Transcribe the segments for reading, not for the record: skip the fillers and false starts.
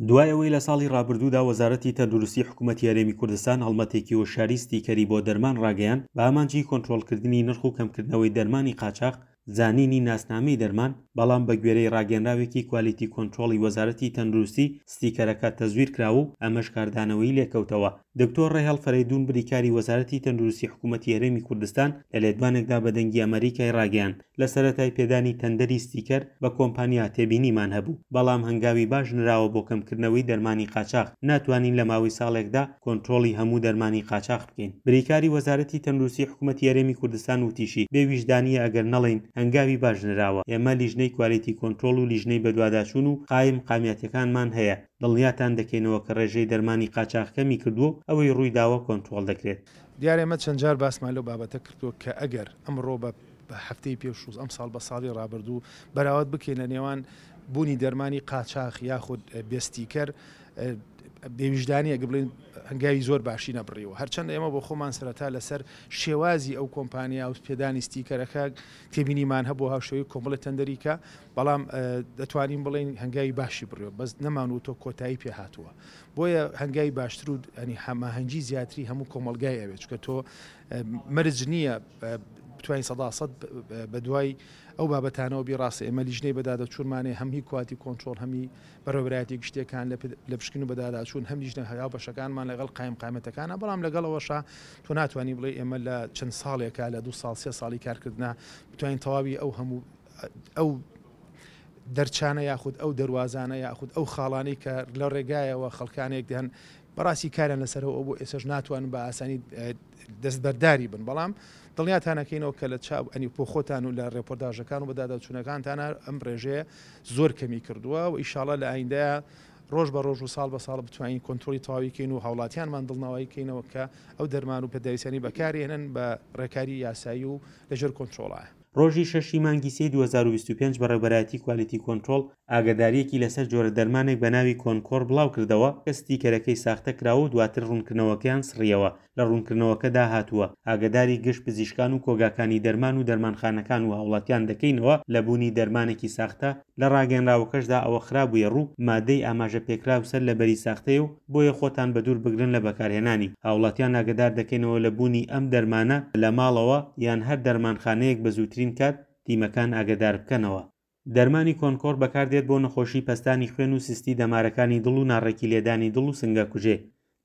دوای ئەوەی لە ساڵی ڕابردوودا وەزارەتی تەندروستی حکومەتی هەرێمی کوردستان هەڵمەتێکی هۆشیاری ستیکەری بۆ دەرمان ڕاگەیاند بە ئامانجی کۆنترۆڵکردنی نرخ و کەمکردنەوەی دەرمانی قاچاخ، زانینی ناسنامەی دەرمان، بەڵام بەگوێرەی ڕاگەیەنراوێکی کوالیتی کۆنترۆڵی وەزارەتی تەندروستی ستیکەرەکە تەزویر کراوە و ئەمەش کاردانەوەی لێکەوتەوە. دکتۆر ڕێهێڵ فەرەیدوون بریکاری وەزارەتی تەندروستی حکومەتی هەرێمی کوردستان لە لێدوانێکدا بە دەنگی ئەمەریکای ڕاگەیاند لە سەرەتای پێدانی تەندەری ستیکەر بە کۆمپانیا تێبینیمان هەبوو، بەڵام هەنگاوی باش نراوە بۆ کەمکردنەوەی دەرمانی قاچاخ، ناتوانین لە ماوەی ساڵێکدا کۆنترۆڵی هەموو دەرمانی قاچاخ بکەین. بریکاری وەزارەتی تەندروستی حکومەتی هەرێمی کوردستان وتیشی، بێ ویژدانییە ئەگەر نەڵێین هەنگاوی باش نراوە، ئێمە لیژنەی کوالیتی کۆنترۆڵ و لیژنەی بەدواداچوون و قایم قامیاتەکانمان هەیە، دڵنیاتان دەکەینەوە کە ڕێژەی دەرمانی قاچاخ کەمی کردووە و ئەوەی ڕوویداوە کۆنترۆڵ دەکرێت. دیارە ئێمە چەند جار باسمان لەو بابەتە کردووە کە ئەگەر ئەمڕۆ بە هەفتەی پێشوو ئەمساڵ بە ساڵی ڕابردوو بەراورد بکەین لە نێوان بوونی دەرمانی قاچاخ یاخود بێ ستیکەر بێویژدانیە گە بڵێن هەنگاوی زۆر باشی نەبڕیوە هەرچەند ئێمە بۆ خۆمان سەرەتا لەسەر شێوازی ئەو کۆمپانیا و پێدانی ستیکەرەکە تێبینیمان هەبوو هاوشێوەی کۆمەڵی تەندەریکە بەڵام دەتوانین بڵێین هەنگاوی باشی بڕیوە بەس نەمان وتۆ کۆتایی پێ هاتووە بۆیە هەنگاوی باشتر و ئەنی هەماهەنگی زیاتری هەموو کۆمەڵگای ئەوێت چکە تۆ مەرج نییە بتوانین سەدا سەد بە دوای ئەو بابەتانەوە بی ڕاستە ئێمە لیژنەی بەدادەچوونمانێ هەم هی کواتی کۆنترۆڵ هەمی بەڕێوەبەرایەتی گشتیەکان لە پشکنین و بەداداچوون هەم لیژنە هاوبەشەکانمان لەگەڵ قایمقامەتەکانە بەڵام لەگەڵ ئەوەشا تۆ ناتوانانی بڵێ ئێمە لە چەند ساڵێکە لە دو ساڵ سێ ساڵی کارکردنا بتوانین تەواوی ئەو هەموو ئەو دەرچانە یاخود ئەو دەروازانە یاخود ئەو خاڵانەی کە لە ڕێگایەوە خەڵکانێک دەن بەڕاستی کاریان لەسەرەوە ئەو بۆ ئێسش ناتوانن بە ئاسانی دەستبەرداری بن بەڵام دڵنیاتانەکەینەوە کە لە چاو ئەنی بۆ خۆتان و لە ڕێپۆرداژەکان و بەداداچوونەکانتانە ئەم ڕێژەیە زۆر کەمی کردووە و ئیشاڵا لە ئایندەیە ڕۆژ بە ڕۆژ و ساڵ بە ساڵ بتوانین کۆنترۆڵی تەواوی کەین و هاوڵاتیانمان دڵنەوایی کەینەوە کە ئەو دەرمان و پێداویستیانەی بەکارێنن بە ڕێکاری یاسایی و لەژێر کۆنترۆڵایە. ڕۆژی شەشی مانگی سێی 2025 بەڕێوبەرایەتی کوالیتی کۆنترۆڵ ئاگادارییەکی لەسەر جۆرە دەرمانێک بە ناوی کۆنکۆر بڵاوکردەوە کە ستیکەرەکەی ساختە کراوە و دواتر ڕوونکردنەوەکەیان سڕییەوە. لە ڕوونکردنەوەکەدا هاتووە، ئاگاداری گشت پزیشکان و کۆگاکانی دەرمان و دەرمانخانەکان و هاوڵاتیان دەکەینەوە لە بوونی دەرمانێکی ساختە، لە ڕاگەیەنراوەکەشدا ئەوە خرابوویە ڕوو، مادەی ئاماژە پێکراو سەر لە بەری ساختەیە و بۆیە خۆتان بەدوور بگرن لە بەکارهێنانی. هاوڵاتیان ئاگەدار دەکەینەوە لە بوونی ئەم دەرمانە لە ماڵەوە یان هەر دەرمانخانەیەک بە زووترین کات تیمەکان ئاگەدار بکەنەوە. دەرمانی کۆنکۆر بەکاردێت بۆ نەخۆشی پەستانی خوێن و سستی دەمارەکانی دڵ و ناڕێکی لێدانی دڵ و سنگەکوژێ.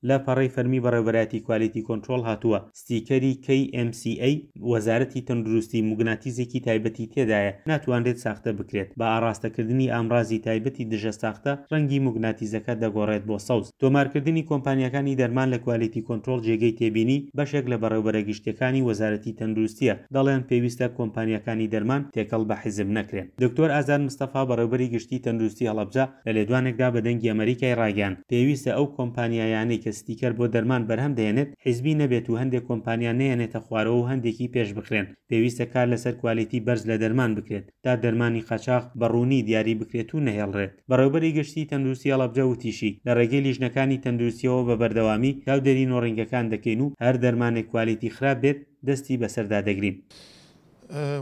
لە پەڕەی فەرمی بەڕێوبەرایەتی کوالیتی کۆنترۆڵ هاتووە، ستیکەری KMCA وەزارەتی تەندروستی موگناتیزێکی تایبەتی تێدایە ناتوانرێت ساختە بکرێت، بە ئاڕاستەکردنی ئامڕازی تایبەتی دژە ساختە ڕەنگی موگناتیزەکە دەگۆڕێت بۆ سەوز. تۆمارکردنی کۆمپانیاکانی دەرمان لە کوالیتی کۆنترۆڵ جێگەی تێبینی بەشێک لە بەڕێوبەرە گشتیەکانی وەزارەتی تەندروستیە، دەڵێن پێویستە کۆمپانیاکانی دەرمان تێکەڵ بە حیزب نەکرێن. دکتۆر ئازاد مستەفا بەڕێوبەری گشتی تەندروستی هەڵەبجە لە لێدوانێکدا بە دەنگی ئەمەریکای ڕاگەیاند، پێویستە ئەو کۆمپانیایانەی کە ستیکەر بۆ دەرمان بەرهەم دەهێنێت حیزبی نەبێت و هەندێک کۆمپانیا نەیەنێتە خوارەوە و هەندێکی پێشبخرێن، پێویستە کار لەسەر کوالیتی بەرز لە دەرمان بکرێت تا دەرمانی قاچاخ بە ڕوونی دیاری بکرێت و نەهێڵرێت. بەڕێوبەری گشتی تەندروستی هەڵەبجە وتیشی، لە ڕێگەی لیژنەکانی تەندروستیەوە بە بەردەوامی چاودێری نۆڕینگەکان دەکەین و هەر دەرمانێک کوالیتی خراپ بێت دەستی بەسەردا دەگرین.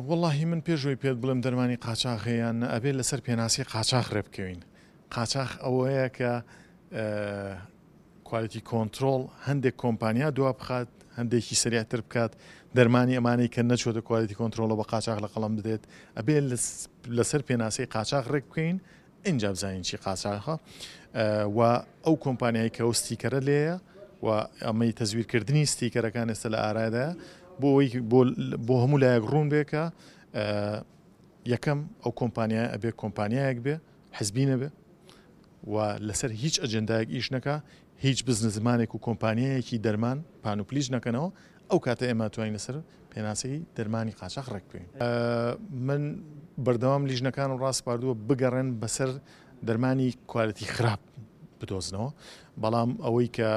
وەڵاهی من پێش ئەوەی پێت بڵێم دەرمانی قاچاخ هەیە یان نە ئەبێ لەسەر پێناسەی قاچاخ ڕێ بکەوین قاچاخ ئەوەیە کە کوالیتی کۆنترۆڵ هەندێک کۆمپانیا دوا بخات هەندێکی سریعتر بکات دەرمانی ئەمانەی کە نەچۆتە کوالیتی کۆنترۆڵە بە قاچاخ لە قەڵەم بدرێت ئەبێ لەسەر پێناسەی قاچاخ ڕێک بکەین ئینجا بزانین چی قاچاخە و ئەو کۆمپانیای کە ئەو ستیکەرە لێیە و ئەمەی تەزویرکردنی ستیکەرەکان ئێستا لە ئارادایە بۆ ئەوەی بۆ هەموو لایەک ڕوون بێ کە یەکەم ئەو کۆمپانیای ئەبێ کۆمپانیایەک بێ حزبی نەبێ و لەسەر هیچ ئەجندایەک ئیش نەکا هیچ بزنزمانێک و کۆمپانیایەکی دەرمان پانوپلیچ نەکەنەوە ئەو کاتە ئێمە توانین لەسەر پێناسەی دەرمانی قاچاخ ڕێک بکەوین. من بەردەوام لیژنەکانم ڕاسپاردووە بگەڕێن بەسەر دەرمانی کوالێتی خراپ بدۆزنەوە، بەڵام ئەوەی کە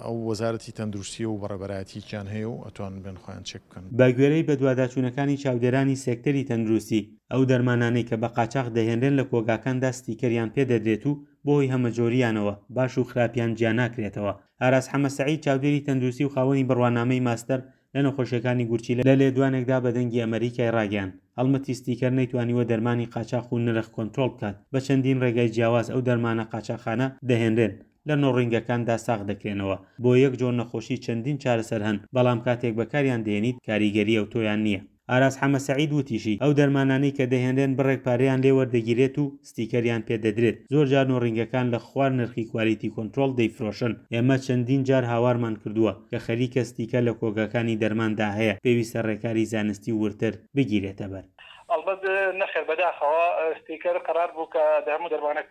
ئەو وەزارەتی تەندروستیە و بەڕێبەرایەتیەکیان هەیە و ئەتوانن بێن خۆیان چێک بکەن. بە گوێرەی بەدواداچوونەکانی چاودێرانی سێکتەری تەندروستی، ئەو دەرمانانەی کە بە قاچاخ دەهێنرێن لە کۆگاکاندا ستیکەریان پێ دەدرێت و بەهۆی هەمەجۆرییانەوە باش و خراپیان جیاناکرێتەوە. ئاراس حەمە سەعید چاودێری تەندروستی و خاوەنی بڕوانامەی ماستەر لە نەخۆشیەکانی گورچیلە لە لێدوانێکدا بە دەنگی ئەمەریکای ڕاگەیاند، هەڵمەتی ستیکەر نەیتوانیوە دەرمانی قاچاخ و نرخ کۆنترۆڵ بکات، بە چەندین ڕێگای جیاواز ئەو دەرمانە قاچاخانە دەهێنرێن لە نۆڕینگەکاندا ساغ دەکرێنەوە، بۆ یەک جۆر نەخۆشی چەندین چارەسەر هەن، بەڵام کاتێک بەکاریان دێنیت کاریگەری ئەوتۆیان نییە. ئاراس حەمە سەعید وتیشی، ئەو دەرمانانەی کە دەهێنرێن بڕێک پارەیان لێ وەردەگیرێت و ستیکەریان پێ دەدرێت، زۆرجار نۆڕینگەکان لە خوار نرخی کوالیتی کۆنترۆڵ دەیفرۆشن، ئێمە چەندین جار هاوارمان کردووە کە خەریکە ستیکەر لە کۆگاکانی دەرماندا هەیە، پێویستە ڕێکاری زانستی و وردتر بگیرێتەبەر. ئەڵبەت نەخێر بەداخەوە ستیکەر قەرار بوو کە دە هەموو دەرمانە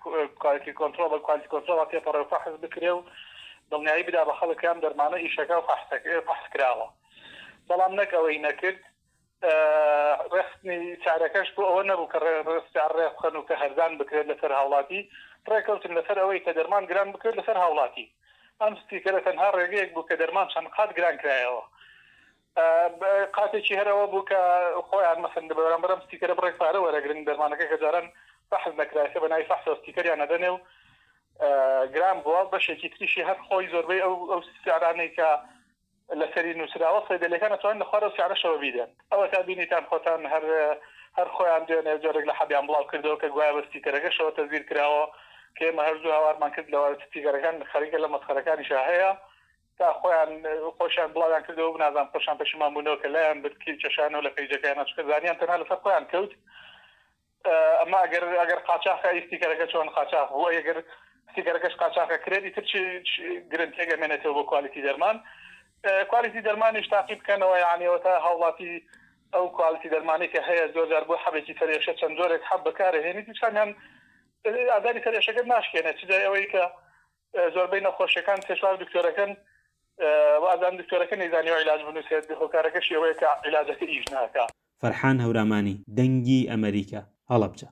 کوالیتی کۆنترۆڵ بە کوالیتی کۆنترۆڵا تێپەڕێ و فەحس بکرێ و دڵنیایی بدا بە خەڵک کە ئەم دەرمانە ئیشەکە و فەحس کراوە. بەڵام نەک ئەوەی نەکرد، ڕێکخستنی سعرەکەش بۆ ئەوە نەبوو کە سعر ڕێکبخەن و کە هەرزان بکرێت لەسەر هاوڵاتی، ڕێکەوتن لەسەر ئەوەی کە دەرمان گران بکرێت لەسەر هاوڵاتی. ئەم ستیکەرە تەنها ڕێگەیەک بوو کە دەرمان چەند قات گران کرایەوە. قاتێکی هەر ئەوە بوو کە خۆیان مەسەن بەرامبەر ئەم ستیکەرە بڕێک پارە وەرەگرن، دەرمانەکە کە جاران فەحس نەکرا ئێستا بە ناوی فەحسەوە ستیکەریان ئەدەنێ و گران بووە، بەشێکی تریشی هەر خۆی زۆربەی ئەو سعرانەی کە لەسەری نوسراوە صەیدەلیەکان ئەتوانن لە خوار ئەو سعرەشەوە بیدەن. ئەوەتا بینیتان خۆتان هەر هەر خۆیان دوێنێ جۆرێک لە حەبیان بڵاو کردەوە کە گوایە بە ستیکەرەکەشەوە تەزویر کراوە کە ئێمە هەر زوو هاوارمان کرد لەوە ستیکەرەکان خەریکە لە مەسخەرەکانیشا هەیە تا خۆیان خۆشیان بڵاویان کردەوە نازانم خۆشیان پەشیمان بوونەوە کە لایان برد کێشانەوە لە پەیجەکەیان چونکە زانیان تەنها لەسەر خۆیان کەوت. ئەمە ئەگەر ئەگەر قاچاخە ئەی ستیکەرەکە چۆن قاچاخ بوو ئەی ئەگەر ستیکەرەکەش قاچاخە کرێت ئیتر چ گرنتیەک ئەمێنێتەوە بۆ کوالیتی دەرمان کوالیتی دەرمانیش تاقی بکەنەوە یعنی ئەوە تا هاوڵاتی ئەو کوالیتی دەرمانی کە هەیە زۆر جار بۆ حەبێکی سەرێشە چەند جۆرێک حەب بەکارهێنیت هیچ کامیان ئازاری سەرێشەکەت ناشکێنێت چ جای ئەوەی کە زۆربەی نەخۆشیەکان سێ چوار دکتۆرەکەن وازان دکتۆرەکە نەیزانیوە عیلاج بنووسێت هۆکارەکەشی ئەوەیە کە عیلاجەکە ئیش ناکا. فەرحان هەورامانی، دەنگی ئەمەریکا، هەڵەبجە.